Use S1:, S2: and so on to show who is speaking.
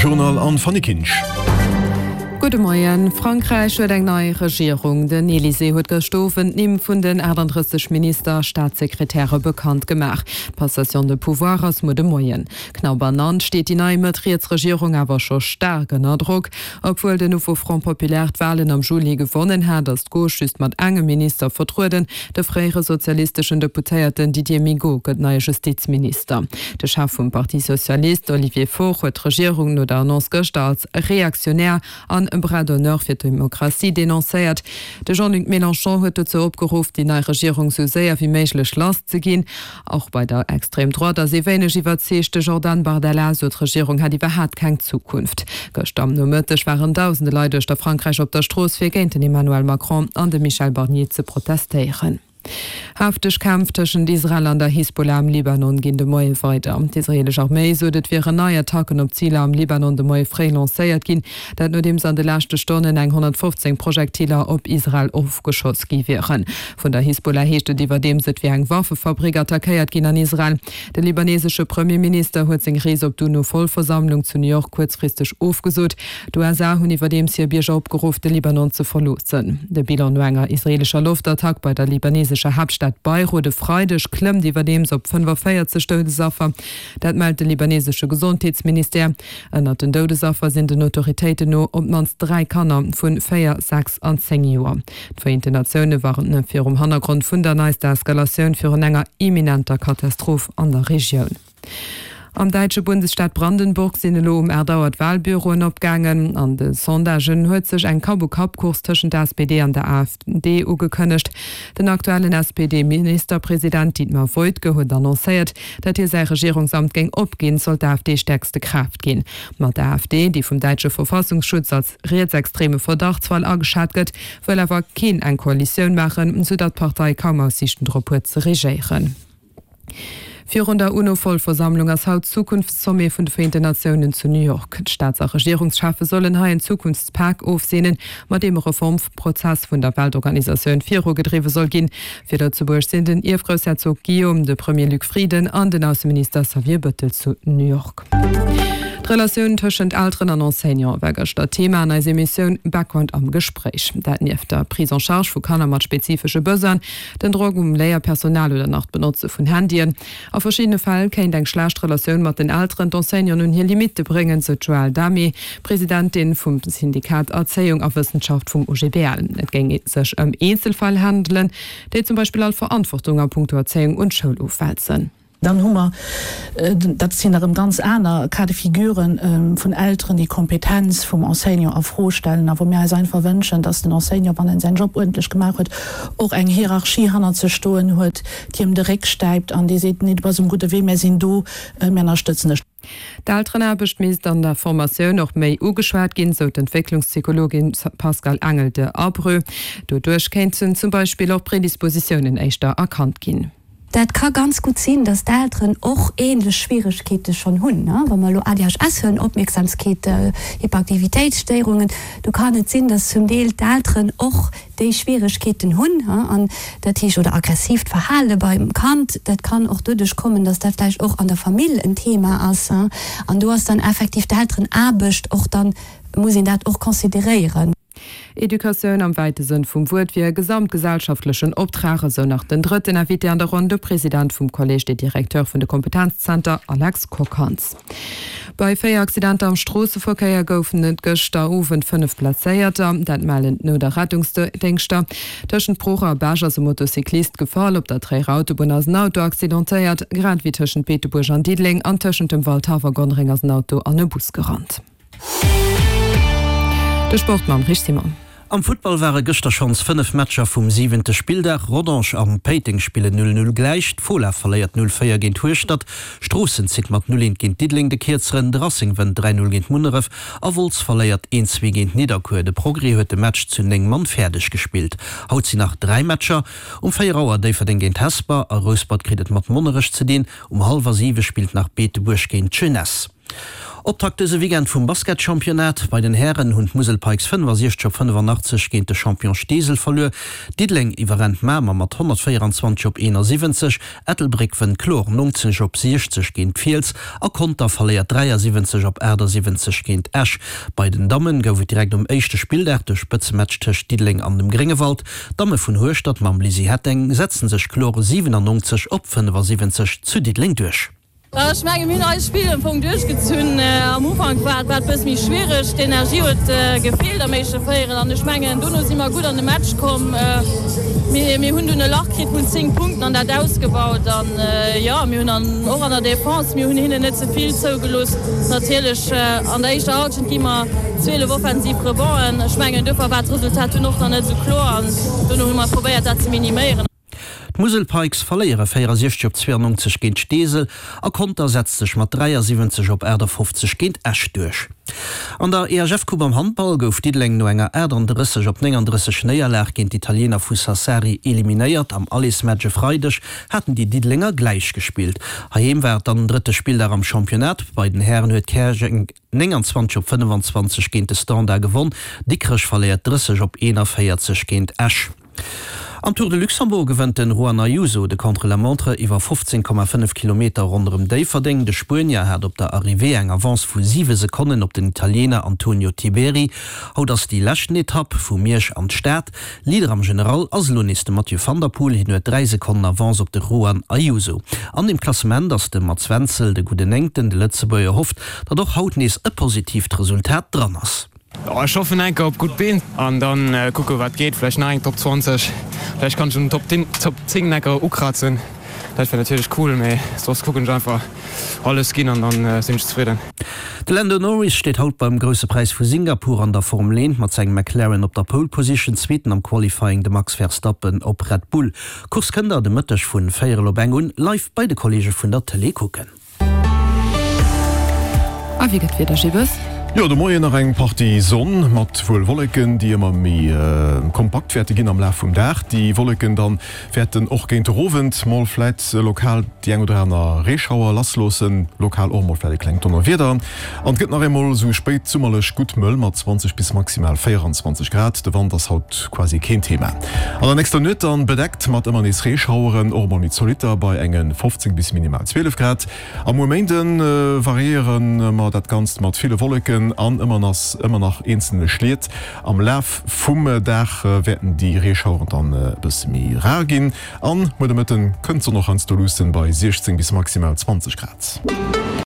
S1: Journal an Fanny Kinsch.
S2: Gudde Moien. Frankräich huet eng nei Regierung. Den Elysée huet gëscht Owend d'Nimm vun den 38 Minister a Staatssekretäre bekannt gemaach. D'Passation de pouvoir ass muer de Moien. Knapp ernannt steet déi nei Mëtt-Riets-Regierung awer scho staark ënner Drock. Obwuel den Nouveau Front Populaire d'Walen am Juli gewonnen hat, ass d'Gauche just mat engem Minister vertrueden. De fréiere sozialisteschen Deputéierten Didier Migaud gëtt neie Justizminister. De Chef vum Parti Socialiste, Olivier Faure, huet d'Regierung no der Annonce gëschter als reaktionär an e Bras d'honneur fir d'Demokratie denoncéiert. De Jean-Luc Mélenchon huet dozou opgeruff, déi nei Regierung sou séier wéi méiglech lass ze ginn. Och bei der Extrême Droite ass ee wéineg iwwerzeegt. De Jordan Bardella sot, d'Regierung hätt iwwerhaat keng Zukunft. Gëschter am Nomëtteg waren dausende Leit uechter Frankräich op der Strooss, fir géint den Emmanuel Macron an de Michel Barnier ze protestéieren. Hefteg Kämpf tëschent Israel an der Hisbollah am Libanon ginn de Moie weider. D'israeelesch Arméi sot, et wieren nei Attacken op Ziler am Libanon de Moie fréi lancéiert ginn. Dat nodeems an de leschte Stonnen eng 115 Projektiler op Israel ofgeschoss gi wieren. Vun der Hisbollah heescht et iwwerdeems, et wier eng Waffefabrik attackéiert ginn an Israel. De libanesesche Premierminister huet seng Rees op d'UNO-Vollversammlung zu New York kuerzfristeg ofgesot. D'USA hunn iwwerdeems hir Bierger opgeruff, de Libanon ze verloossen. De Bilan no enger israeelescher Loftattack bei der libanesescher Haaptstad Beirut e Freideg klëmmt iwwerdeems op 45 Doudesaffer. Dat mellt de libanesesche Gesondheetsministère. Ënnert den Doudesaffer sinn den Autoritéiten no op d'mannst 3 Kanner vu 4, 6 an 10 Joer. D'Vereenten Natioune warnen virum Hannergrond vun der neister Eskalatioun virun enger imminenter Katastroph an der Regioun. Am däitsche Bundesstaat Brandenburg sinn elo um 8 Auer d'Walbüroen opgaangen. An de Sondagen huet sech eng Kapp-u-Kapp-Course tëschent der SPD an der AfD ugekënnegt. Den aktuellen SPD-Ministerpresident Dietmar Woidke huet annoncéiert, datt hie säi Regierungsamt géing opginn, sollt d'AfD stäerkste Kraaft ginn. Ma d'AfD, déi vum däitsche Verfassungsschutz als rietsextreme Verdachtsfall ageschat gëtt, wëll awer keen eng Koalitioun maachen, sou datt d'Partei kaum Aussiichten drop huet ze regéieren. Virun der UNO-Vollversammlung ass haut Zukunftssommet vun de Vereenten Natiounen zu New York. D'Staats a Regierungscheffe sollen hei en Zukunftspak ofseenen, mat deem e Reformprozess vun der Weltorganisatioun virugedriwwe soll ginn. Fir Lëtzebuerg sinn den Ierfgroussherzog Guillaume, de Premier Luc Frieden an den Ausseminister Xavier Bëttel zu New York. D'Relatioun tëschent Elteren an Enseignante war gëschter Thema an eiser Emissioun Background am Gespréich. Dat nieft der Prise en charge vu Kanner mat spezifesche Besoinen, den Drock um Léierpersonal oder nach d'Benotze vun Handyen. A verschiddene Fäll kéint eng schlecht Relatioun mat den Elteren d'Enseignanten un hir Limitte bréngen, sou d'Joëlle Damé, Presidentin vum Syndikat Erzéiung a Wëssenschaft vum OGBL. Et géing sech ëm Eenzelfäll handelen, déi zum Beispill all Verantwortung a punkto Erzéiung un d'Schoul ofwälzen.
S3: Dann hu mer, dat sinn erëm ganz aner Cas de figuren, vun Elteren, déi d'Kompetenz vum Enseignant a Fro stellen a wou mir eis einfach wënschen, dass den Enseignant, wann en säin Job uerdentlech gemaach huet, och eng Hierarchie hannert sech stoen huet, déi em de Réck stäipt an déi seet, Nee, du bass um gudde Wee, mär sinn do, mär ënnerstëtzen dech.
S2: D'Elterenaarbecht misst an der Formatioun och méi ugeschwat ginn, sou d'Entwécklungspsychologin Pascale Angel de Abreu. Doduerch kéinten zum Beispill och Predispositiounen éischter erkannt ginn.
S4: Dat ka ganz gutt sinn, dass d'Elteren och ähnlech Schwieregkeete schonn hunn. Wa mer elo ADHS hunn, Opmierksamkeet, Hyperaktivitéitsstéierungen, do kann et sinn, dass zum Deel d'Elteren och déi Schwieregkeeten hunn, an dat heescht, oder aggressiivt Verhale beim Kand, dat kann och doduerch kommen, dass dat vläicht och an der Famill en Thema ass. An do ass dann effektiv d'Elterenaarbecht och dann, muss een dat och consideréieren.
S2: Educatioun am wäite Sënn vum Wuert wier e gesamtgesellschaftlechen Optrag, esou nach den drëtten Invité an der Ronn, de President vum Collège des Directeurs vun de Kompetenzzenter, Alex Kockhans. Bei 4 Accidenter am Stroosseverkéier goufen et gëschter Owend 5 Blesséierter. Dat mellen d'Nout a Rettungsdéngschter. Tëschent Pruch a Bech ass e Motocyclist gefall. Op der Tréierer Autobunn ass en Auto accidentéiert, grad ewéi tëschent Beetebuerg an Diddeleng an tëschent dem Waldhaff a Gonnereng ass en Auto an e Bus gerannt. De Sport mam Rich Simon.
S5: Am Futtball ware gëschter schonns 5 Matcher vum siwente Spilldag. Rodange an Péiteng spillen 0, 0 gläich, d'Fola verléiert 0, 4 géint Hueschtert, Stroossen zitt mat 0, 1 géint Diddeleng de Kierzeren, de Racing wënnt 3, 0 géint Munneref a Wolz verléiert 1, 2 géint Nidderkuer. De Progrès huet de Match zu 9 Mann fäerdeg gespillt. Haut sinn nach 3 Matcher, Um 4 Auer Déifferdeng géint Hesper a Rouspert kritt et mat Monnerech ze dinn, um hallwer 7 spillt nach Beetebuerg géint d'Jeunesse. Optakt dëse Weekend vum Basketchampionnat. Bei den Hären hunn d'Musel Pikes 65 op 85 géint de Champion Steesel verluer. Diddeleng iwwerrennt Mamer mat 124 op 71, Ettelbréck wënnt kloer 90 op 60 géint d'Fiels a Conter verléiert 73 op 78 géint Esch. Bei den Dammen gouf et direkt um éischte Spilldag de Spëtzematch tëscht Diddeleng an dem Gréngewald. D'Damme vun Hueschtert mam Lizzy Hetteng setzen sech kloer 97 op 75 zu Diddeleng duerch.
S1: Ech menge mir hunn eist Spill am Fong duerchgezunn. Am Ufank war et bësse méi schwiereg, d'Energie huet gefeelt am éischte Véierel an ech mengen dono si mer gutt an de Match komm. Mir hunn dunn e Lach kritt vun 10 Punkten an dat ausgebaut an jo mir hunn an och an der Defense, mir hunn hinnen net ze vill zougelooss. Natierlech an der éischter Hallschent gi mer 12 offensiv Rebonds'en. Ech mengen duerfir war d'Resultat dunn och nach net esou kloer an dono hu mer probéiert dat ze miniméieren.
S5: D'Musel Pikes verléiere 64 op 92 géint Steesel a Conter setzt sech mat 73 op 58 géint Esch duerch. An der EHF-Coupe am Handball gouf Diddeleng no enger 38 op 39 Néierlag géint d'Italiener vu Sassari eliminéiert. Am Allersmatch e Freideg haten déi Diddelenger gläich gespillt. Heiheem war et dann den drëtte Spilldag am Championnat. Bei den Hären huet Käerjeng 29 op 25 géint de Standard gewonn. Dikrech verléiert 30 op 41 géint Esch. Am Tour de Luxembourg gewënnt den Juan Ayuso de Contre-la-montre iwwer 15,5 Kilometer ronderëm Déifferdeng. De Spuenier hat op der Arrivée eng Avance vu 7 Sekonnen op den Italiener Antonio Tiberi. Haut ass déi leschten Etapp, vu Miersch an d'Stad. Leader am General ass elo nees de Mathieu van der Poel, hien huet 3 Sekonnen Avance op de Juan Ayuso. An dem Klassement ass de Mats Wenzel de gudden Néngten. De Lëtzebuerger hofft, datt och haut nees e positiivt Resultat dran ass.
S6: Ech hoffen enker op gutt Been an dann kucke wat geet. Vläicht nach eng Top 20, vläicht kann ech un den Top 10 enker ukrazen. Dat wär natierlech cool, mee soss kucken ech einfach alles ginn an dann sinn ech zefridden.
S5: De Lando Norris steet haut beim Grousse Präis vu Singapur an der Formel 1 mat sengem McLaren op der Pole Position, Zweeten am Qualifying de Max Verstappen op Red Bull. D'Course kënnt der de Mëtteg vun véierel op eng un live bei de Kolleege vun der Tëlee kucken.
S2: A wéi gëtt d'Wieder, Gilles?
S7: Jo, de Moien nach eng Partie Sonn mat wuel Wolleken, déi ëmmer méi kompakt wäerte ginn am Laf vum Dag. Déi Wolleken dann wäerten och géint de Owend mol vläit lokal déi eng oder aner Reeschauer lassloossen, lokal och mol vläit e klengt Donnerwieder. An et gëtt nach eemol esou spéitsummerlech gutt mëll mat 20 bis maximal 24 Grad. De Wand ass haut quasi keen Thema. An der nächster Nuet dann bedeckt mat ëmmer nees Reeschaueren, och emol méi zolitter bei enge 15 bis minimal 12 Grad. A muer Méinde variéiere mer dat Ganzt mat ville Wolleken an ëmmer ëmmer nach eenzelne Schliet. Am Laf vum Dag wäerten déi Reeschaueren dann e bësse méi rar ginn an muer de Mëtten kënnt d'Sonn och heiansdo luussen bei 16 bis maximal 20 Grad.